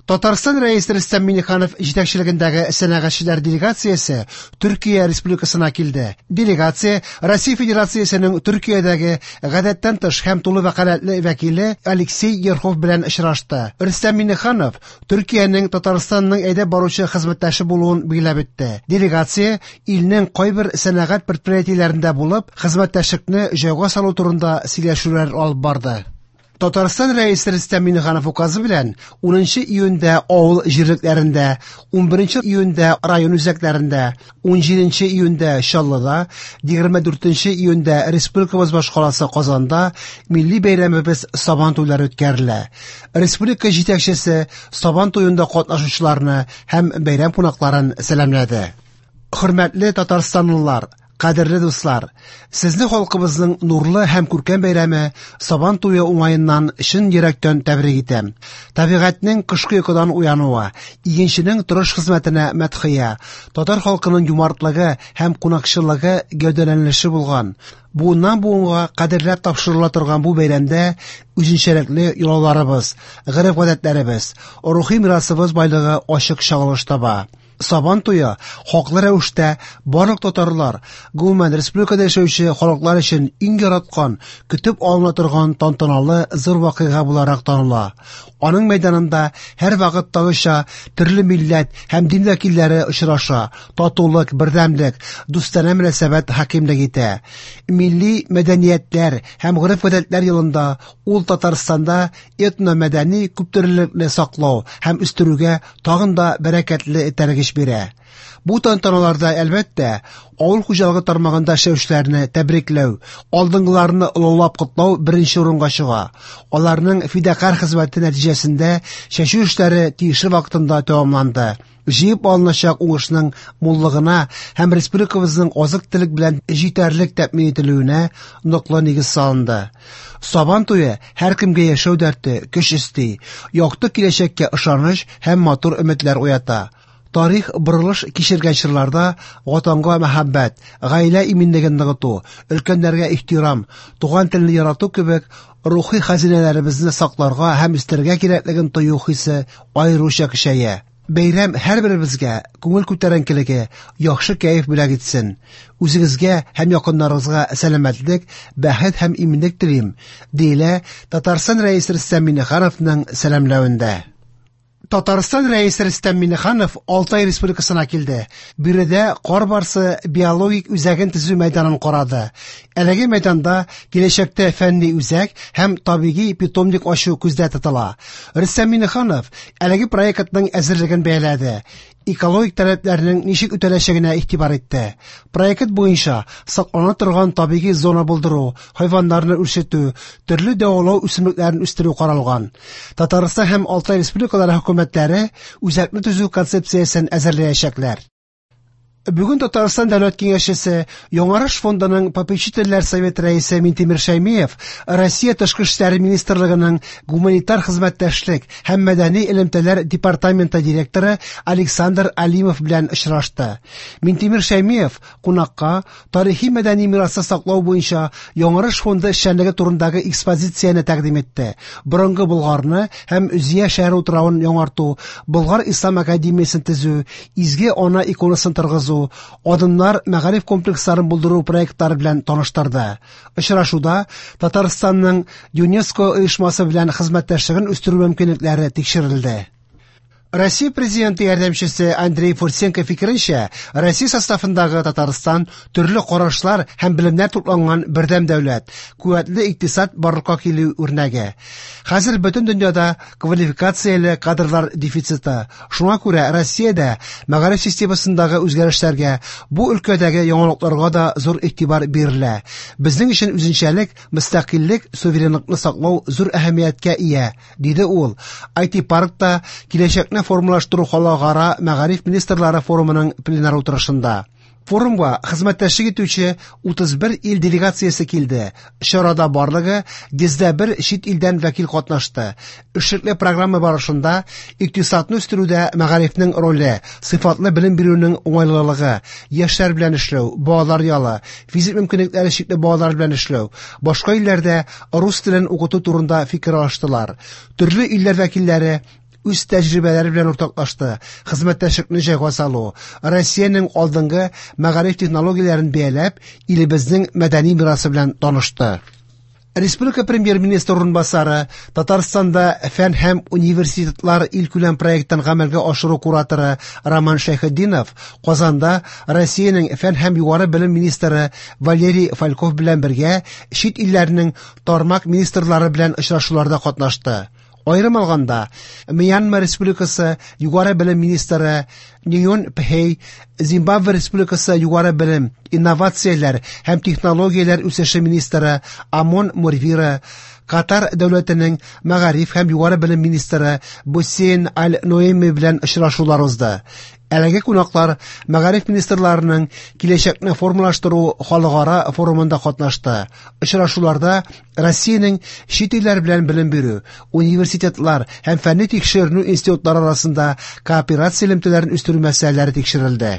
Татарстан Рәисе Рөстәм Миңнеханов җитәкчелегендәге сәнәгатьчеләр делегациясе Төркия Республикасына килде. Делегация Россия Федерациясенең Төркиядәге гадәттән тыш һәм тулы вәкаләтле вәкиле Алексей Ерхов белән очрашты. Рөстәм Миңнеханов Төркиянең Татарстанның әйдәп баручы хезмәттәше булуын билгеләп үтте. Делегация илнең кайбер сәнәгать предприятиеләрендә булып, хезмәттәшлекне җайга салу турында сөйләшүләр алып барды. Татарстан Рәисе Рөстәм Миңнеханов указы белән 10 июньдә авыл җирлекләрендә, 11 июньдә район үзәкләрендә, 17 июньдә Чаллыда, 24 июньдә республикабыз башкаласы Казанда милли бәйрәмебез Сабан туйлары үткәрелә. Республика җитәкчесе Сабан туенда катнашучыларны һәм бәйрәм кунакларын сәламләде. Хөрмәтле татарстанлылар, кадерле дуслар, сезне халкыбызның нурлы һәм күркәм бәйрәме Сабан туе уңаеннан чын йөрәктән тәбрик итәм. Табигатьнең кышкы йокыдан уянуы, игенченең тырыш хезмәтенә мәдхия, татар халкының юмартлыгы һәм кунакчыллыгы гәүдәләнеше булган, буыннан буынга кадерләп тапшырыла торган бу бәйрәмдә үзенчәлекле йолаларыбыз, гореф-гадәтләребез, рухи мирасыбыз байлыгы ачык чагылыш таба. Сабан туе хаклы рәвештә барлык татарлар, гомумән республикада яшәүче халыклар өчен иң яраткан, көтеп алына торган тантаналы зур вакыйга буларак таныла. Аның мәйданында һәрвакыттагыча төрле милләт һәм дин вәкилләре очраша, татулык, бердәмлек, дустанә мөнәсәбәт хакимлек итә. Милли мәдәниятләр һәм гореф-гадәтләр елында ул Татарстанда этномәдәни күптөрлелекне саклау һәм үстерүгә тагын да бәрәкәтле этәргеч бирә. Бу тантаналарда, әлбәттә, авыл хуҗалыгы тармагында эшләүчеләрне тәбрикләү, алдынгыларны олылап котлау беренче урынга чыга. Аларның фидакарь хезмәте нәтиҗәсендә чәчү эшләре тиешле вакытында тәмамланды. Җыеп алыначак уңышның муллыгына һәм республикабызның азык-төлек белән җитәрлек тәэмин ителүенә ныклы нигез салынды. Сабан туе һәркемгә яшәү дәрте, көч өсти, якты киләчәккә ышаныч һәм матур өметләр уята. Тарих борылыш кичергән чорларда ватанга мәхәббәт, гаилә иминлеген ныгыту, өлкәннәргә ихтирам, туган телне ярату кебек рухи хәзинәләребезне сакларга һәм үстерергә кирәклеген тою хисе аеруча көчәя. Бәйрәм һәрберебезгә күңел күтәренкелеге, яхшы кәеф бүләк итсен. Үзегезгә һәм якыннарыгызга сәламәтлек, бәхет һәм иминлек телим, диелә Татарстан Рәисе Рөстәм Миңнехановның сәламләвендә. Татарстан Рәисе Рөстәм Миңнеханов Алтай Республикасына килде. Биредә кар барсы биологик үзәген төзү мәйданын карады. Әлеге мәйданда киләчәктә фәнни үзәк һәм табигый питомник ачу күздә тотыла. Рөстәм Миңнеханов әлеге проектның әзерлеген бәяләде. Экологик таләпләрнең ничек үтәләчәгенә игътибар итте. Проект буенча саклана торган табигый зона булдыру, хайваннарны үрчетү, төрле дәвалау үсемлекләрен үстерү каралган. Татарстан һәм Алтай республикалары хөкүмәтләре үзәкне төзү концепциясен әзерләячәкләр. Бүген Татарстан Дәүләт Киңәшчесе, Яңарыш фондының попечительләр советы рәисе Минтимер Шәймиев Россия Тышкы эшләр министрлыгының гуманитар хезмәттәшлек һәм мәдәни элемтәләр департаменты директоры Александр Алимов белән очрашты. Минтимер Шәймиев кунакка тарихи мәдәни мирасны саклау буенча Яңарыш фонды эшчәнлеге турындагы экспозицияне тәкъдим итте. Борынгы Болгарны һәм Зөя шәһәре утравын яңарту, Болгар ислам академиясен төзү, Изге Ана иконасын торгызу, Адымнар мәгариф комплексларын булдыру проектлары белән таныштырды. Очрашуда Татарстанның ЮНЕСКО оешмасы белән хезмәттәшлеген үстерү мөмкинлекләре тикшерелде. Россия президенты ярдәмчесе Андрей Фурсенко фикеренчә, Россия составындагы Татарстан төрле карашлар һәм белемнәр тупланган бердәм дәүләт, куәтле икътисад барлыкка килү үрнәге. Хәзер бөтен дөньяда квалификацияле кадрлар дефициты. Шуңа күрә Россиядә мәгариф системасындагы үзгәрешләргә, бу өлкәдәге яңалыкларга да зур игътибар бирелә. Безнең өчен үзенчәлек, мөстәкыйльлек, суверенлыкны саклау зур әһәмияткә ия, диде ул. IT-паркта киләчәкне формалаштыру халыкара мәгариф министрлары форумының пленар утырышында. Форумга хезмәттәшлек итүче 31 ил делегациясе килде. Чарада барлыгы 101 чит илдән вәкил катнашты. Эшлекле программа барышында икътисадны үстерүдә мәгарифнең роле, сыйфатлы белем бирүнең уңайлылыгы, яшьләр белән эшләү, балалар ялы, физик мөмкинлекләре чикле балалар белән эшләү, башка илләрдә рус телен укыту турында фикер алыштылар. Төрле илләр вәкилләре үз тәҗрибәләре белән уртаклашты, хезмәттәшлекне җайга салу, Россиянең алдынгы мәгариф технологияләрен бәяләп, илебезнең мәдәни мирасы белән танышты. Республика премьер-министры урынбасары, Татарстанда фән һәм университетлар илкүләм проектын гамәлгә ашыру кураторы Роман Шәйхетдинов Казанда Россиянең фән һәм югары белем министры Валерий Фальков белән бергә чит илләрнең тармак министрлары белән очрашуларда катнашты. Аерым алганда, Мьянма Республикасы югары белем министры Ньон Пхей, Зимбабве Республикасы югары белем, инновацияләр һәм технологияләр үсеше министры Амон Мурвира, Катар дәүләтенең мәгариф һәм югары белем министры Бусейн Аль-Ноэми белән очрашулар узды. Әлеге кунаклар мәгариф министрларының киләчәкне формалаштыру халыкара форумында катнашты. Очрашуларда Россиянең чит илләр белән белем бирү, университетлар һәм фәнни тикшеренү институтлары арасында кооперация элемтәләрен үстерү мәсьәләләре тикшерелде.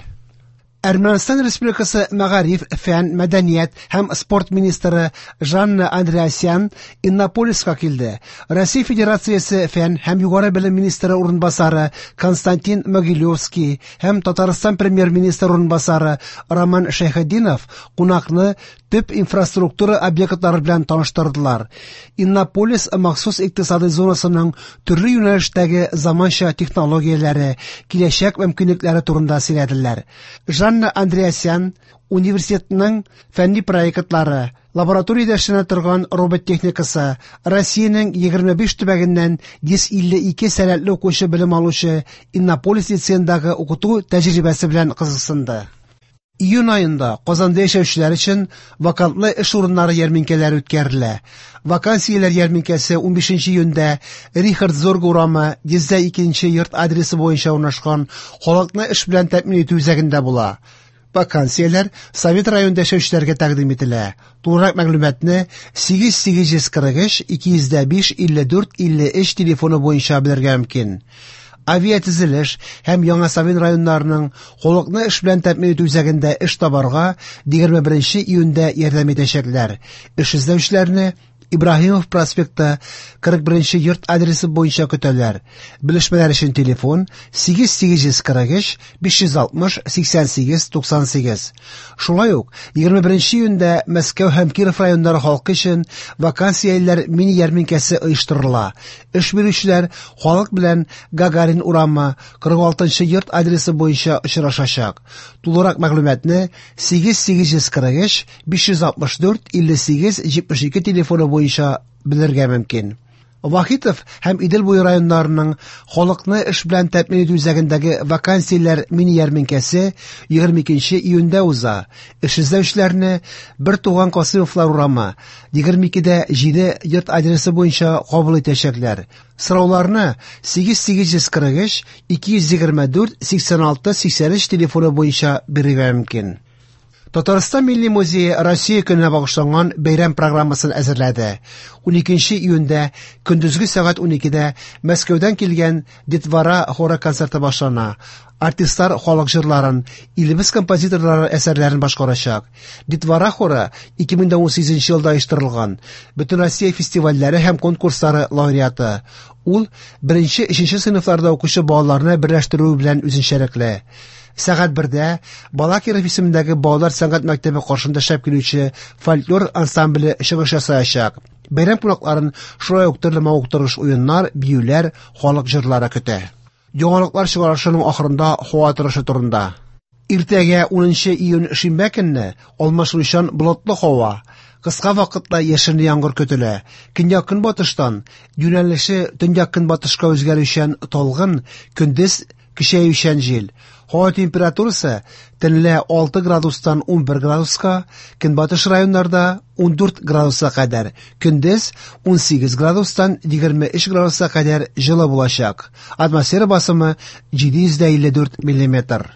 Әрмәнстан Республикасы мәгариф, фән, мәдәният һәм спорт министры Жанна Андреасян Иннополиска килде. Россия Федерациясе фән һәм югары белем министры урынбасары Константин Могилевский һәм Татарстан премьер-министры урынбасары Роман Шәйхетдинов кунакны төп инфраструктура объектлары белән таныштырдылар. Иннополис махсус икътисадый зонасының төрле юнәлештәге заманча технологияләре, киләчәк мөмкинлекләре турында сөйләделәр. Жанна Андреасян университетның фәнни проектлары, лабораториядә эшләнә торган робот техникасы, Россиянең 25 төбәгеннән 152 сәләтле укучы белем алучы Иннополис лицеендагы укыту тәҗрибәсе белән кызыксынды. Июнь аенда Казанда яшәүчеләр өчен вакантлы эш урыннары ярминкәләре үткәрелә. Вакансияләр ярминкәсе 15 июньдә Рихард Зорг урамы 102 йорт адресы буенча урнашкан халыкны эш белән тәэмин итү үзәгендә була. Вакансияләр Совет районында яшәүчеләргә тәкъдим ителә. Тулырак мәгълүматны 8843 205 54 53 телефоны буенча белергә мөмкин. Авиатөзелеш һәм Яңа Савин районнарының халыкны эш белән тәэмин итү үзәгендә эш табарга 21 июньдә ярдәм итәчәкләр. Эш эзләүчеләрне Ибраһимов проспекты 41 йорт адресы буенча көтәләр. Белешмәләр өчен телефон 8843 560 88 98. Шулай ук 21 июньдә Мәскәү һәм Киров районнары халкы өчен вакансияләр мини ярминкәсе оештырыла. Эш бирүчеләр халык белән Гагарин урамы 46 йорт адресы буенча очрашачак. Тулырак мәгълүматны 8843 564 58 72 телефоны буенча белергә мөмкин. Вахитов һәм Идел буе районнарының халыкны эш белән тәэмин итү үзәгендәге вакансияләр мини ярминкәсе 22 июньдә уза. Эш эзләүчеләрне Бер туган Касыймовлар урамы 22-дә 7 йорт адресы буенча кабул итәчәкләр. Сорауларны 8843 224 86 83 телефоны буенча бирергә мөмкин. Татарстан Милли музее Россия көненә багышланган бәйрәм программасын әзерләде. 12 июньдә көндезге сәгать 12-дә Мәскәүдән килгән Детвора хоры концерты башлана. Артистлар халык җырларын, илебез композиторлары әсәрләрен башкарачак. Детвора хоры 2018 елда оештырылган. Бөтенроссия фестивальләре һәм конкурслары лауреаты. Ул 1-3 сыйныфларда укучы балаларны берләштерүе белән үзенчәлекле. Сәгать 1-дә Балакиров исемендәге балалар сәнгать мәктәбе каршында эшләп килүче фольклор ансамбле чыгыш ясаячак. Бәйрәм кунакларын шулай ук төрле мавыктыргыч уеннар, биюләр, халык җырлары көтә. Яңалыклар чыгарышының ахырында һава торышы турында. Иртәгә 10 июнь шимбә көнне алмашынучан болытлы һава, кыска вакытта яшенле яңгыр көтелә. Көньяк-көнбатыштан юнәлеше төньяк-көнбатышка үзгәрүчән талгын, көндез көчәючән җил. Һава температурасы төнлә 6 градустан 11 градуска, көнбатыш районнарда 14 градуска кадәр, көндез 18 градустан 23 градуска кадәр җылы булачак. Атмосфера басымы 754 миллиметр.